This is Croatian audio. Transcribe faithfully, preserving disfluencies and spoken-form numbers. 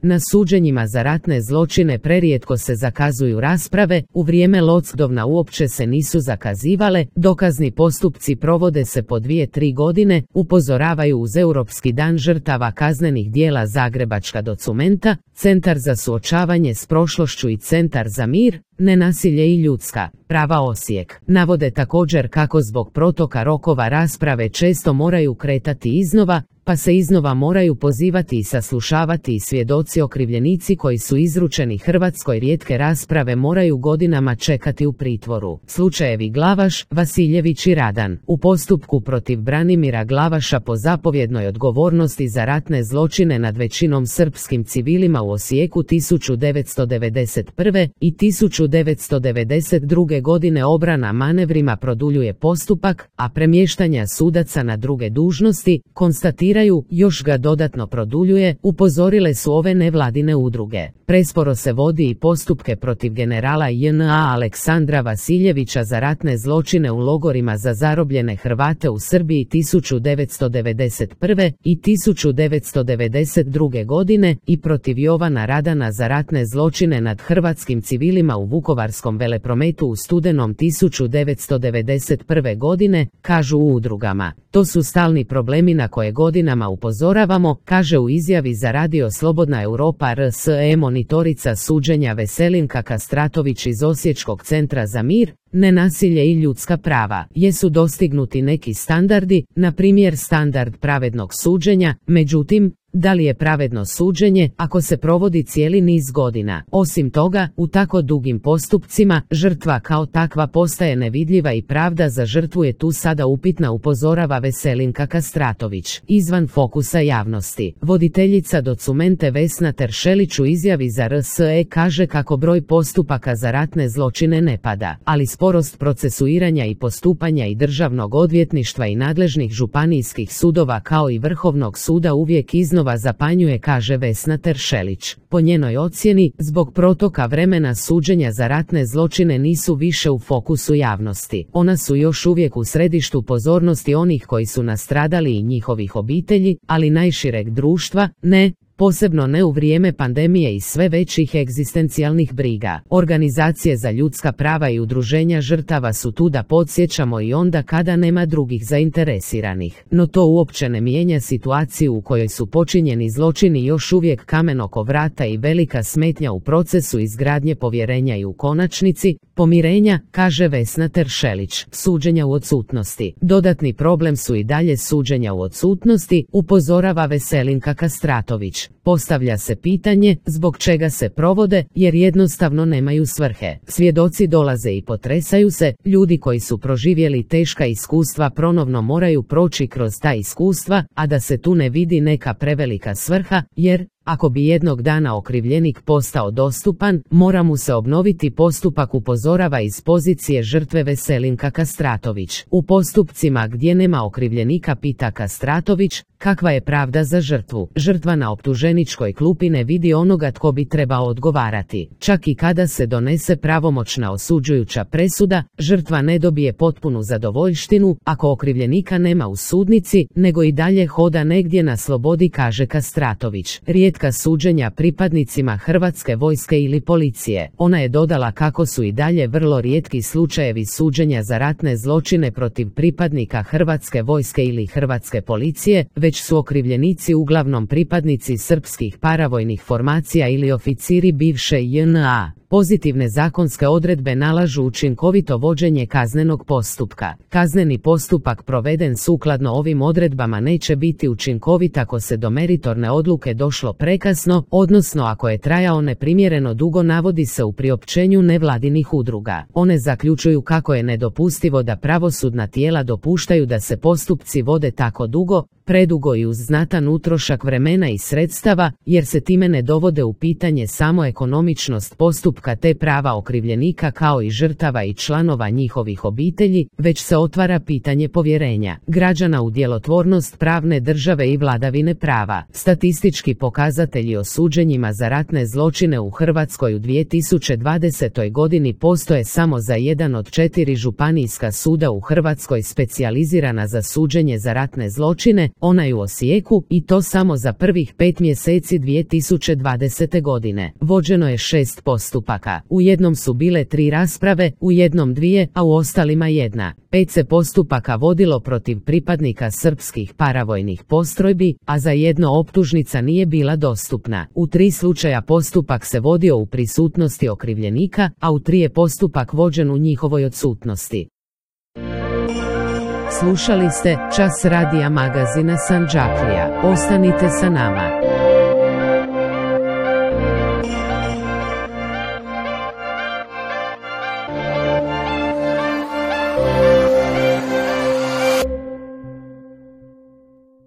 Na suđenjima za ratne zločine prerijetko se zakazuju rasprave, u vrijeme lockdowna uopće se nisu zakazivale, dokazni postupci provode se po dvije tri godine, upozoravaju uz Europski dan žrtava kaznenih djela Zagrebačka documenta, Centar za suočavanje s prošlošću i Centar za mir, nenasilje i ljudska prava Osijek. Navode također kako zbog protoka rokova rasprave često moraju kretati iznova, pa se iznova moraju pozivati i saslušavati i svjedoci okrivljenici koji su izručeni Hrvatskoj rijetke rasprave moraju godinama čekati u pritvoru. Slučajevi Glavaš, Vasiljević i Radan. U postupku protiv Branimira Glavaša po zapovjednoj odgovornosti za ratne zločine nad većinom srpskim civilima u Osijeku tisuću devetsto devedeset prve. i tisuću devetsto devedeset druge. godine obrana manevrima produljuje postupak, a premještanja sudaca na druge dužnosti, konstatira još ga dodatno produljuje, upozorile su ove nevladine udruge. Presporo se vodi i postupke protiv generala J N A Aleksandra Vasiljevića za ratne zločine u logorima za zarobljene Hrvate u Srbiji tisuću devetsto devedeset prve. i tisuću devetsto devedeset druge. godine i protiv Jovana Radana za ratne zločine nad hrvatskim civilima u Vukovarskom veleprometu u studenom tisuću devetsto devedeset prve. godine, kažu u udrugama. To su stalni problemi na koje godinama upozoravamo, kaže u izjavi za radio Slobodna Europa R S E monitorica suđenja Veselinka Kastratović iz Osječkog centra za mir, nenasilje i ljudska prava. Jesu dostignuti neki standardi, na primjer standard pravednog suđenja, međutim, da li je pravedno suđenje ako se provodi cijeli niz godina? Osim toga, u tako dugim postupcima, žrtva kao takva postaje nevidljiva i pravda za žrtvu je tu sada upitna, upozorava Veselinka Kastratović. Izvan fokusa javnosti. Voditeljica documente Vesna Teršelić u izjavi za R S E kaže kako broj postupaka za ratne zločine ne pada, ali sporost procesuiranja i postupanja i državnog odvjetništva i nadležnih županijskih sudova kao i Vrhovnog suda uvijek iznova zapanjuje, kaže Vesna Teršelić. Po njenoj ocjeni, zbog protoka vremena suđenja za ratne zločine nisu više u fokusu javnosti. Ona su još uvijek u središtu pozornosti onih koji su nastradali i njihovih obitelji, ali najšireg društva ne. Posebno ne u vrijeme pandemije i sve većih egzistencijalnih briga. Organizacije za ljudska prava i udruženja žrtava su tu da podsjećamo i onda kada nema drugih zainteresiranih. No to uopće ne mijenja situaciju u kojoj su počinjeni zločini još uvijek kamen oko vrata i velika smetnja u procesu izgradnje povjerenja i u konačnici pomirenja, kaže Vesna Teršelić. Suđenja u odsutnosti. Dodatni problem su i dalje suđenja u odsutnosti, upozorava Veselinka Kastratović. Postavlja se pitanje zbog čega se provode, jer jednostavno nemaju svrhe. Svjedoci dolaze i potresaju se, ljudi koji su proživjeli teška iskustva ponovno moraju proći kroz ta iskustva, a da se tu ne vidi neka prevelika svrha, jer ako bi jednog dana okrivljenik postao dostupan, mora mu se obnoviti postupak, upozorava iz pozicije žrtve Veselinka Kastratović. U postupcima gdje nema okrivljenika, pita Kastratović, kakva je pravda za žrtvu? Žrtva na optuženičkoj klupi ne vidi onoga tko bi trebao odgovarati. Čak i kada se donese pravomoćna osuđujuća presuda, žrtva ne dobije potpunu zadovoljštinu ako okrivljenika nema u sudnici, nego i dalje hoda negdje na slobodi, kaže Kastratović. Rijetka suđenja pripadnicima Hrvatske vojske ili policije. Ona je dodala kako su i dalje vrlo rijetki slučajevi suđenja za ratne zločine protiv pripadnika Hrvatske vojske ili Hrvatske policije, već su okrivljenici uglavnom pripadnici srpskih paravojnih formacija ili oficiri bivše J N A. Pozitivne zakonske odredbe nalažu učinkovito vođenje kaznenog postupka. Kazneni postupak proveden sukladno ovim odredbama neće biti učinkovit ako se do meritorne odluke došlo prekasno, odnosno ako je trajao neprimjereno dugo, navodi se u priopćenju nevladinih udruga. One zaključuju kako je nedopustivo da pravosudna tijela dopuštaju da se postupci vode tako dugo, predugo i uz znatan utrošak vremena i sredstava, jer se time ne dovode u pitanje samo ekonomičnost postupka postupka te prava okrivljenika kao i žrtava i članova njihovih obitelji, već se otvara pitanje povjerenja građana u djelotvornost pravne države i vladavine prava. Statistički pokazatelji o suđenjima za ratne zločine u Hrvatskoj u dvije tisuće dvadesetoj godini postoje samo za jedan od četiri županijska suda u Hrvatskoj specijalizirana za suđenje za ratne zločine, onaj u Osijeku, i to samo za prvih pet mjeseci dvije tisuće dvadesete godine. Vođeno je šest postupaka. U jednom su bile tri rasprave, u jednom dvije, a u ostalima jedna. Pet se postupaka vodilo protiv pripadnika srpskih paravojnih postrojbi, a za jedno optužnica nije bila dostupna. U tri slučaja postupak se vodio u prisutnosti okrivljenika, a u tri je postupak vođen u njihovoj odsutnosti. Slušali ste Čas radija magazina Sandžaklija. Ostanite sa nama.